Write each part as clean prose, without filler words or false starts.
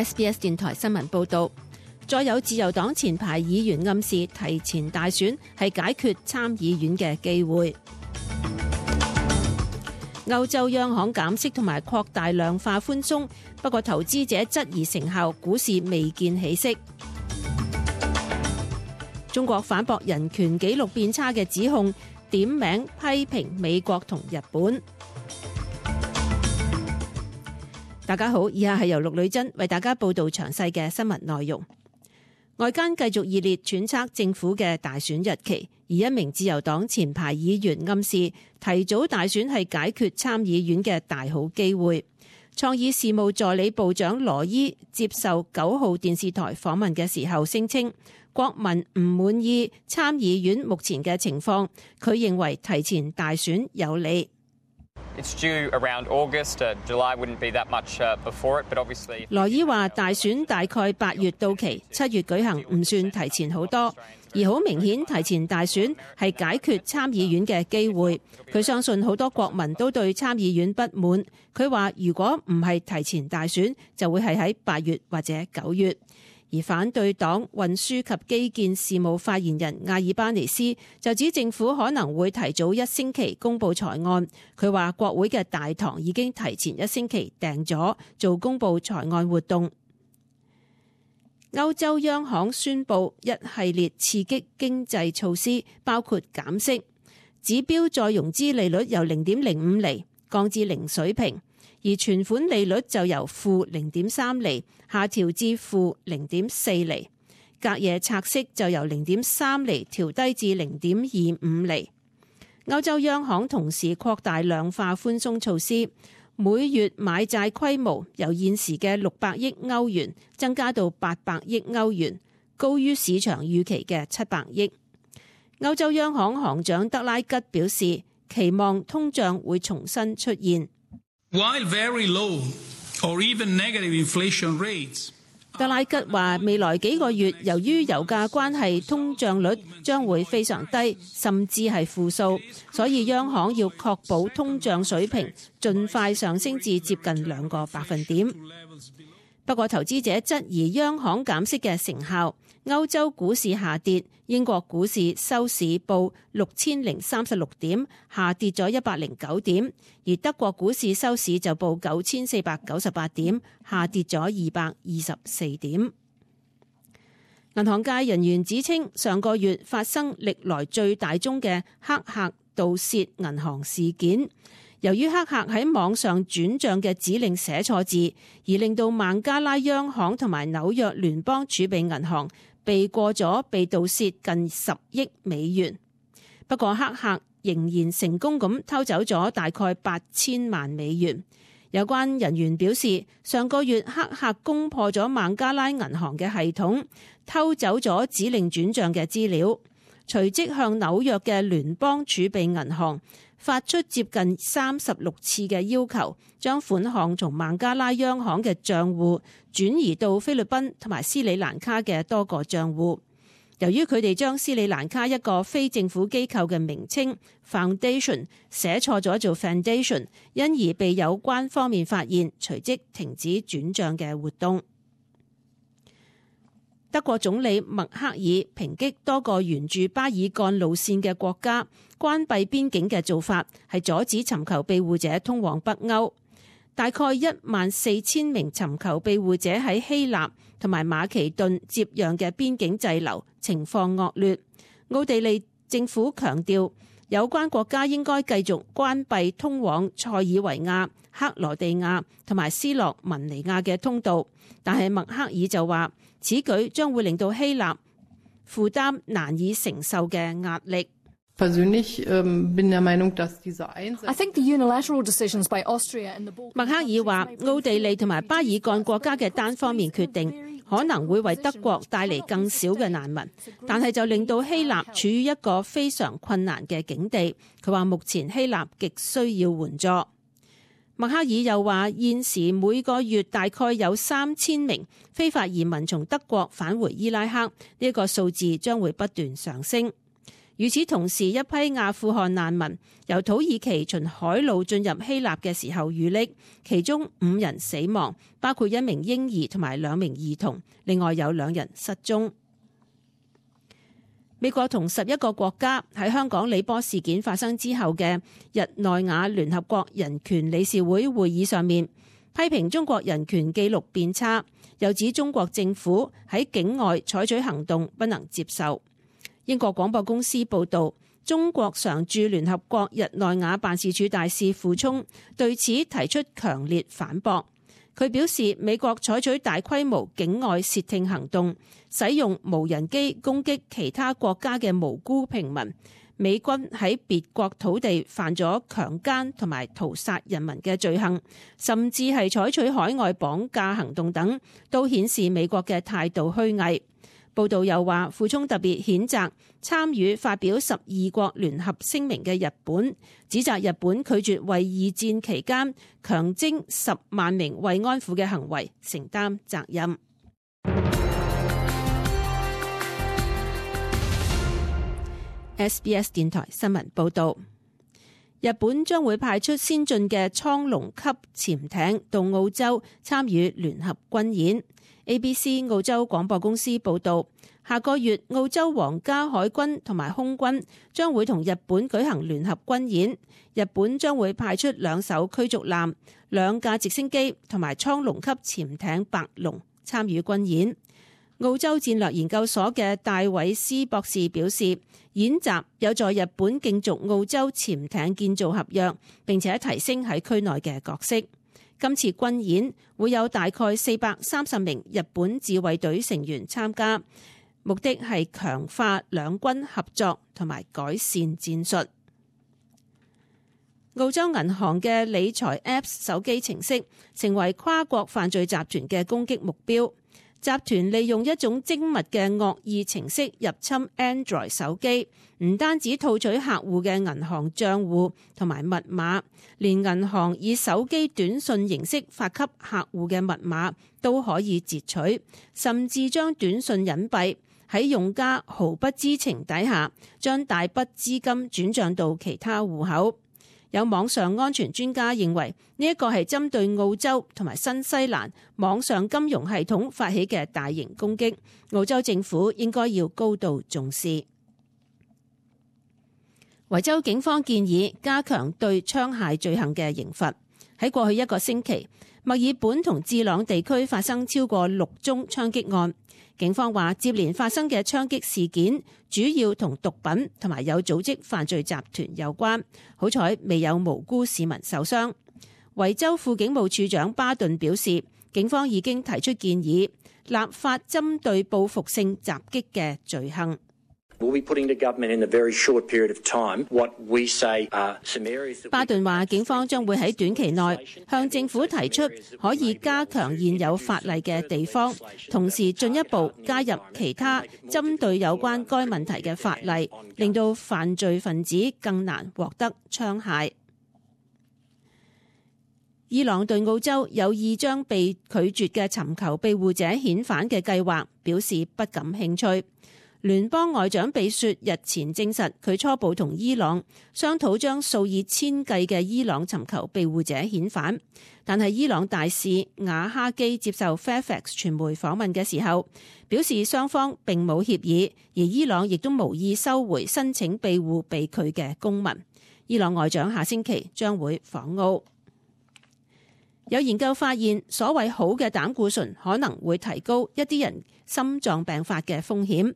SBS 電台新聞報導，再有自由黨前排議員暗示提前大選係解決參議院嘅機會。歐洲央行減息同埋擴大量化寬鬆，不過投資者質疑成效，股市未見起色。中國反駁人權紀錄變差嘅指控，點名批評美國同日本。大家好，以下係由陸女真為大家報道詳細嘅新聞內容。外間繼續熱烈揣測政府嘅大選日期，而一名自由黨前排議員暗示提早大選係解決參議院嘅大好機會。創意事務助理部長羅伊接受9號電視台訪問嘅時候聲稱，國民唔滿意參議院目前嘅情況，佢認為提前大選有利。羅伊話大選大概8月到期，7月舉行唔算提前好多，而好明顯提前大選係解決參議院嘅機會。佢相信好多國民都對參議院不滿。佢話如果唔係提前大選，就會係喺8月或者9月。而反對黨運輸及基建事務發言人阿爾巴尼斯就指政府可能會提早1星期公布財案。佢話國會嘅大堂已經提前1星期訂咗做公布財案活動。歐洲央行宣布一系列刺激經濟措施，包括減息，指標再融資利率由 0.05 厘降至零水平，而存款利率就由負 0.3 厘下調至負 0.4 厘，隔夜拆息就由 0.3 厘調低至 0.25 厘。歐洲央行同時擴大量化寬鬆措施，每月買債規模由現時嘅600億歐元增加到800億歐元，高於市場預期嘅700億。歐洲央行行長德拉吉表示，期望通脹會重新出現。While very low or even negative inflation rates， 德拉吉話未來幾個月由於油價關係，通脹率將會非常低，甚至係負數，所以央行要確保通脹水平盡快上升至接近2個百分點。不過投資者質疑央行減息嘅成效，歐洲股市下跌，英國股市收市報6036點，下跌咗109點，而德國股市收市就報9498點，下跌咗224點。銀行界人員指稱，上個月發生歷來最大宗嘅黑客盜竊銀行事件。由於黑客喺網上轉賬嘅指令寫錯字，而令到孟加拉央行同埋紐約聯邦儲備銀行避過咗被盜竊近10億美元。不過黑客仍然成功咁偷走咗大概8000萬美元。有關人員表示，上個月黑客攻破咗孟加拉銀行嘅系統，偷走咗指令轉賬嘅資料，隨即向紐約嘅聯邦儲備銀行發出接近36次嘅要求，將款項從孟加拉央行嘅賬戶轉移到菲律賓同埋斯里蘭卡嘅多個賬戶。由於佢哋將斯里蘭卡一個非政府機構嘅名稱 Foundation 寫錯咗做 Foundation， 因而被有關方面發現，隨即停止轉賬嘅活動。德國總理默克爾抨擊多個沿住巴爾幹路線嘅國家關閉邊境嘅做法係阻止尋求庇護者通往北歐。大概14000名尋求庇護者喺希臘同埋馬其頓接壤嘅邊境滯留，情況惡劣。奧地利政府強調，有關國家應該繼續關閉通往塞爾維亞、克羅地亞同埋斯洛文尼亞嘅通道，但係默克爾就話，此舉將會令到希臘負擔難以承受嘅壓力。I think the unilateral decisions by Austria and the Balkans。默克爾話，奧地利同埋巴爾幹國家嘅單方面決定可能會為德國帶嚟更少嘅難民，但係就令到希臘處於一個非常困難嘅境地。佢話目前希臘極需要援助。默克爾又話，現時每個月大概有3000名非法移民從德國返回伊拉克，呢個數字將會不斷上升。與此同時，一批阿富汗難民由土耳其循海路進入希臘嘅時候遇溺，其中5人死亡，包括1名嬰兒同埋2名兒童，另外有2人失蹤。美國同11個國家喺香港李波事件發生之後嘅日內瓦聯合國人權理事會會議上面，批評中國人權記錄變差，又指中國政府喺境外採取行動不能接受。英國廣播公司報導，中國常駐聯合國日內瓦辦事處大使傅聰對此提出強烈反駁。佢表示，美國採取大規模境外竊聽行動，使用無人機攻擊其他國家嘅無辜平民，美軍喺別國土地犯咗強姦同埋屠殺人民嘅罪行，甚至係採取海外綁架行動等，都顯示美國嘅態度虛偽。報道又話，傅聰特別譴責參與發表12國聯合聲明嘅日本，指責日本拒絕為2戰期間強徵10萬名慰安婦嘅行為承擔責任。SBS 電台新聞報道，日本將會派出先進嘅蒼龍級潛艇到澳洲參與聯合軍演。ABC 澳洲廣播公司報導，下個月澳洲皇家海軍同埋空軍將會同日本舉行聯合軍演，日本將會派出2艘驅逐艦、2架直升機同埋蒼龍級潛艇白龍參與軍演。澳洲戰略研究所嘅戴維斯博士表示，演習有助日本競逐澳洲潛艇建造合約，並且提升喺區內嘅角色。今次軍演會有大概430名日本自衛隊成員參加，目的係強化兩軍合作同埋改善戰術。澳洲銀行嘅理財 Apps 手機程式成為跨國犯罪集團嘅攻擊目標。集團利用一種精密嘅惡意程式入侵 Android 手機，唔單止套取客戶嘅銀行賬戶同埋密碼，連銀行以手機短信形式發給客戶嘅密碼都可以截取，甚至將短信隱蔽，喺用家毫不知情底下，將大筆資金轉賬到其他戶口。有網上安全專家認為，呢一個係針對澳洲同埋新西蘭網上金融系統發起嘅大型攻擊，澳洲政府應該要高度重視。維州警方建議加強對槍械罪行嘅刑罰。喺過去1個星期，墨爾本同智朗地區發生超過6宗槍擊案。警方話，接連發生嘅槍擊事件主要同毒品同埋有組織犯罪集團有關，好彩未有無辜市民受傷。維州副警務處長巴頓表示，警方已經提出建議，立法針對報復性襲擊嘅罪行。巴頓話，警方將會喺短期內向政府提出可以加強現有法例嘅地方，同時進一步加入其他針對有關該問題嘅法例，令到犯罪分子更難獲得槍械。伊朗對澳洲有意將被拒絕嘅尋求庇護者遣返嘅計劃表示不感興趣。聯邦外長比雪日前證實，佢初步同伊朗商討將數以千計嘅伊朗尋求庇護者遣返，但係伊朗大使瓦哈基接受 Fairfax 傳媒訪問嘅時候，表示雙方並冇協議，而伊朗亦都無意收回申請庇護被拒嘅公民。伊朗外長下星期將會訪澳。有研究發現，所謂好嘅膽固醇可能會提高一啲人心臟病發嘅風險。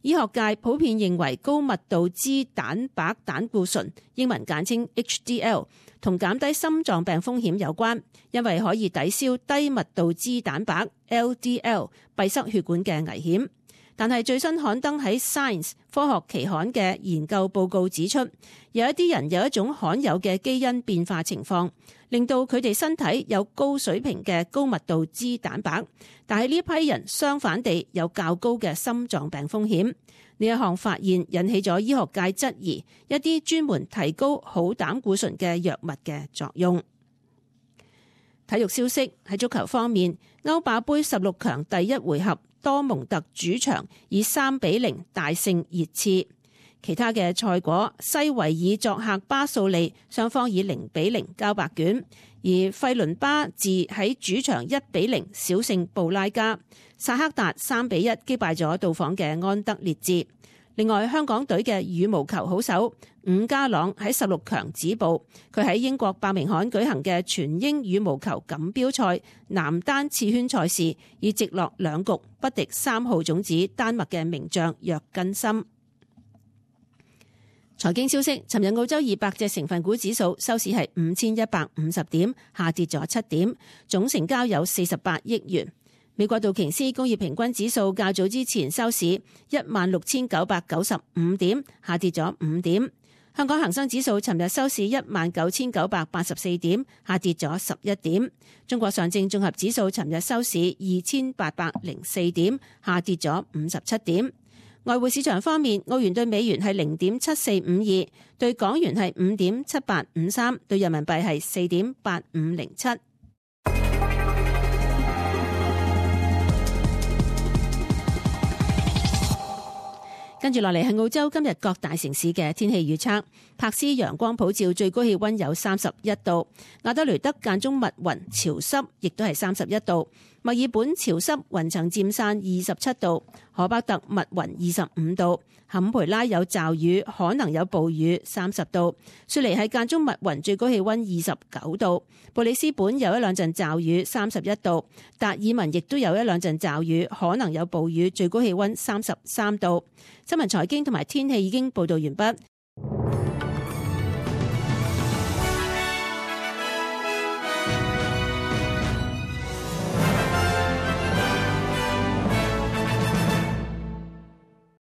醫學界普遍認為高密度脂蛋白膽固醇，英文簡稱 HDL， 同減低心臟病風險有關，因為可以抵消低密度脂蛋白 LDL 閉塞血管嘅危險。但係最新刊登喺 Science 科學期刊嘅研究報告指出，有一啲人有一種罕有嘅基因變化情況，令到佢哋身體有高水平嘅高密度脂蛋白，但係呢批人相反地有較高嘅心臟病風險。呢一項發現引起咗醫學界質疑一啲專門提高好膽固醇嘅藥物嘅作用。體育消息，喺足球方面，歐霸盃16強第1回合，多蒙特主場以3-0大勝熱刺。其他嘅賽果，西維爾作客巴素利，雙方以0-0交白卷；而費倫巴治喺主場1-0小勝布拉加，薩克達3-1擊敗咗到訪嘅安德烈治。另外，香港隊嘅羽毛球好手伍家朗喺16強止步，佢喺英國伯明翰舉行嘅全英羽毛球錦標賽男單次圈賽事，以直落2局不敵3號種子丹麥嘅名將約根森。財經消息，尋日澳洲200隻成分股指數收市係5150點，下跌咗7點，總成交有48億元。美國道瓊斯工業平均指數較早之前收市16,995點，下跌咗5點。香港恒生指數尋日收市19,984點，下跌咗11點。中國上證綜合指數尋日收市2,804點，下跌咗57點。外匯市場方面，澳元對美元係0.7452，對港元係5.7853，對人民幣係4.8507。跟住落嚟係澳洲今日各大城市嘅天氣預測。柏斯陽光普照，最高氣溫有31度；亞德雷德間中密雲潮濕，亦都係31度；墨爾本潮濕雲層漸散27度；荷巴特密雲25度；坎培拉有驟雨，可能有暴雨30度；雪梨係間中密雲，最高氣溫29度；布里斯本有一兩陣驟雨31度；達爾文亦都有一兩陣驟雨，可能有暴雨，最高氣溫33度。新聞財經同埋天氣已經報道完畢。